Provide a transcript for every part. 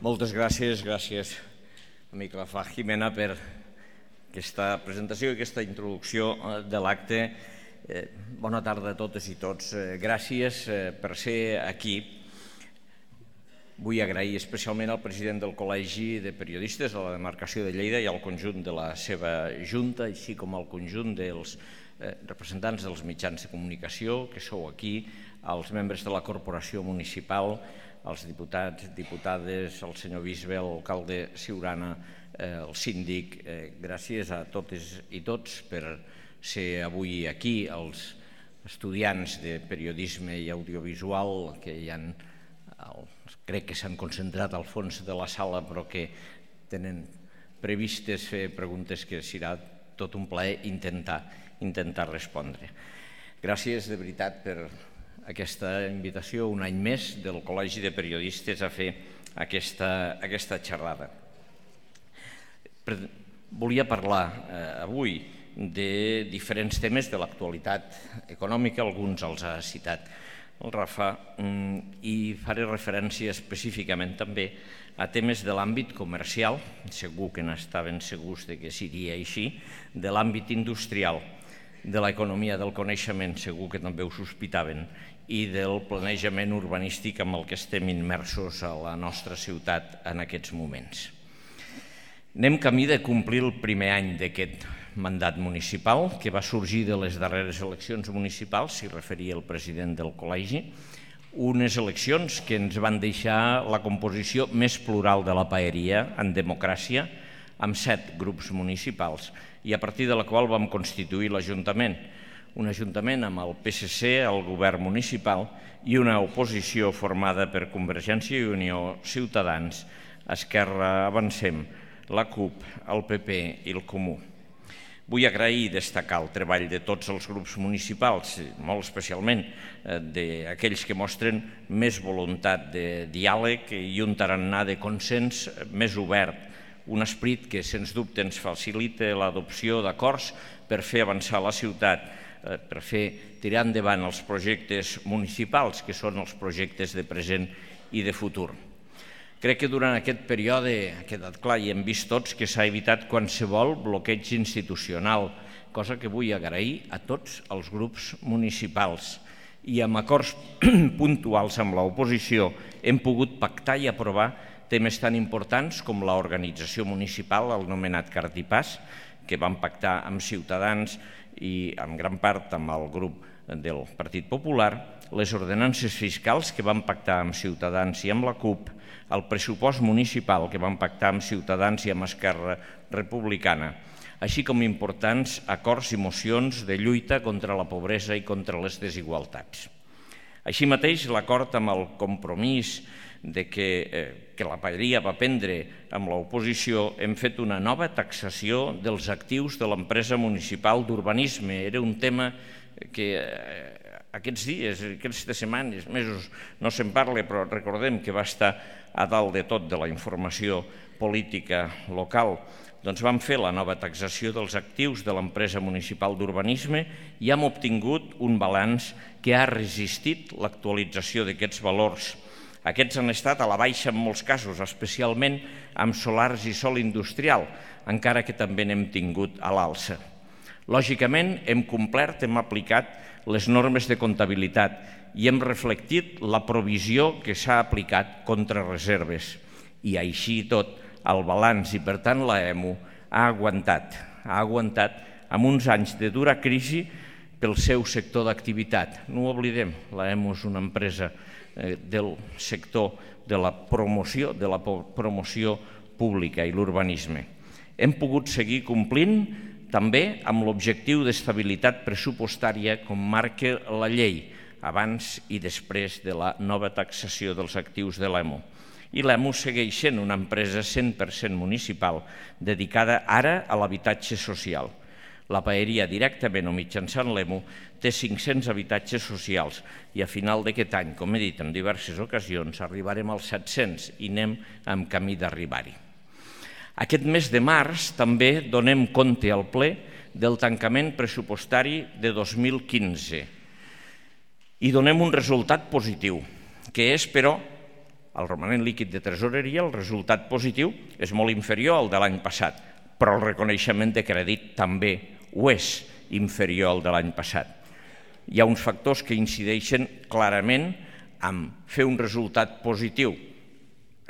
Moltes gràcies, amic Rafa Jimena, per aquesta presentació i aquesta introducció de l'acte. Bona tarda a totes i tots. Gràcies per ser aquí. Vull agrair especialment al president del Col·legi de Periodistes de la demarcació de Lleida i al conjunt de la seva junta, així com al conjunt dels representants dels mitjans de comunicació que sou aquí, als membres de la corporació municipal, als diputats, diputades, al senyor bisbe, a l'alcalde Siurana, al síndic. Gràcies a totes i tots per ser avui aquí, als estudiants de periodisme i audiovisual que hi ha, crec que s'han concentrat al fons de la sala, però que tenen previstes fer preguntes que serà tot un plaer intentar respondre. Gràcies de veritat per aquesta invitació un any més del Col·legi de Periodistes a fer aquesta xerrada. Volia parlar avui de diferents temes de l'actualitat econòmica, alguns els ha citat el Rafa, i faré referència específicament també a temes de l'àmbit comercial, segur que n'estaven segurs que seria així, de l'àmbit industrial, de l'economia del coneixement, segur que també ho sospitaven, i del planejament urbanístic amb el que estem immersos a la nostra ciutat en aquests moments. Anem camí de complir el primer any d'aquest mandat municipal, que va sorgir de les darreres eleccions municipals, s'hi referia el president del col·legi, unes eleccions que ens van deixar la composició més plural de la paeria en democràcia, amb 7 grups municipals, i a partir de la qual vam constituir l'Ajuntament, un ajuntament amb el PSC, el govern municipal, i una oposició formada per Convergència i Unió, Ciutadans, Esquerra Avancem, la CUP, el PP i el Comú. Vull agrair i destacar el treball de tots els grups municipals, molt especialment d'aquells que mostren més voluntat de diàleg i un tarannà de consens més obert, un esperit que sens dubte ens facilita l'adopció d'acords per fer avançar la ciutat, per fer tirar endavant els projectes municipals, que són els projectes de present i de futur. Crec que durant aquest període ha quedat clar i hem vist tots que s'ha evitat qualsevol bloqueig institucional, cosa que vull agrair a tots els grups municipals. I amb acords puntuals amb l'oposició hem pogut pactar i aprovar temes tan importants com l'organització municipal, el nomenat Cartipàs, que vam pactar amb Ciutadans i en gran part amb el grup del Partit Popular, les ordenances fiscals que vam pactar amb Ciutadans i amb la CUP, el pressupost municipal que vam pactar amb Ciutadans i amb Esquerra Republicana, així com importants acords i mocions de lluita contra la pobresa i contra les desigualtats. Així mateix, l'acord amb el compromís que la paeria va prendre amb l'oposició, hem fet una nova taxació dels actius de l'empresa municipal d'urbanisme. Era un tema que aquests dies, aquestes setmanes, mesos, no se'n parla, però recordem que va estar a dalt de tot de la informació política local. Doncs vam fer la nova taxació dels actius de l'empresa municipal d'urbanisme i hem obtingut un balanç que ha resistit l'actualització d'aquests valors. Aquests han estat a la baixa en molts casos, especialment amb solars i sòl industrial, encara que també n'hem tingut a l'alça. Lògicament, hem complert, hem aplicat les normes de comptabilitat i hem reflectit la provisió que s'ha aplicat contra reserves. I així tot, el balanç i, per tant, l'EMU ha aguantat amb uns anys de dura crisi pel seu sector d'activitat. No ho oblidem, l'EMU és una empresa del sector de la promoció pública i l'urbanisme. Hem pogut seguir complint també amb l'objectiu d'estabilitat pressupostària com marca la llei, abans i després de la nova taxació dels actius de l'EMU. I l'EMU segueix sent una empresa 100% municipal dedicada ara a l'habitatge social. La paeria, directament o mitjançant l'EMU, té 500 habitatges socials i a final d'aquest any, com he dit en diverses ocasions, arribarem als 700 i anem en camí d'arribar-hi. Aquest mes de març també donem compte al ple del tancament pressupostari de 2015 i donem un resultat positiu, que és, però, al romanent líquid de tresoreria, el resultat positiu és molt inferior al de l'any passat, però el reconeixement de crèdit també ho és inferior al de l'any passat. Hi ha uns factors que incideixen clarament en fer un resultat positiu,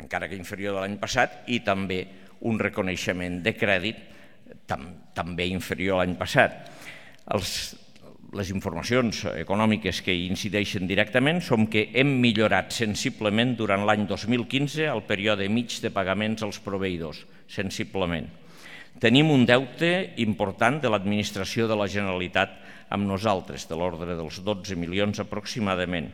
encara que inferior de l'any passat, i també un reconeixement de crèdit també inferior a l'any passat. Les informacions econòmiques que hi incideixen directament són que hem millorat sensiblement durant l'any 2015 el període mig de pagaments als proveïdors, sensiblement. Tenim un deute important de l'administració de la Generalitat amb nosaltres, de l'ordre dels 12 milions aproximadament.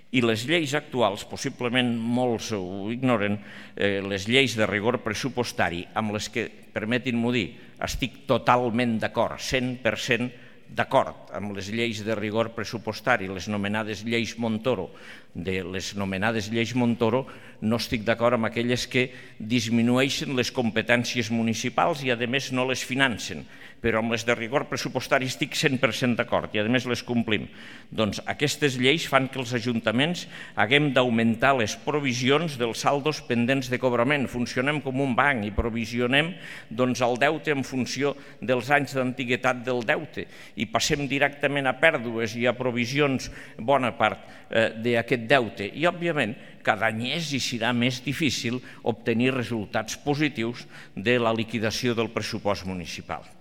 I les lleis actuals, possiblement molts ho ignoren, les lleis de rigor pressupostari, amb les que, permetin-m'ho dir, estic totalment d'acord, 100% d'acord amb les lleis de rigor pressupostari, les nomenades lleis Montoro. De les nomenades lleis Montoro no estic d'acord amb aquelles que disminueixen les competències municipals i a més no les financen, però amb les de rigor pressupostari estic 100% d'acord i a més les complim. Doncs aquestes lleis fan que els ajuntaments haguem d'augmentar les provisions dels saldos pendents de cobrament. Funcionem com un banc i provisionem el deute en funció dels anys d'antiguitat del deute i passem directament a pèrdues i a provisions bona part d'aquest deute. I, òbviament, cada any és i serà més difícil obtenir resultats positius de la liquidació del pressupost municipal.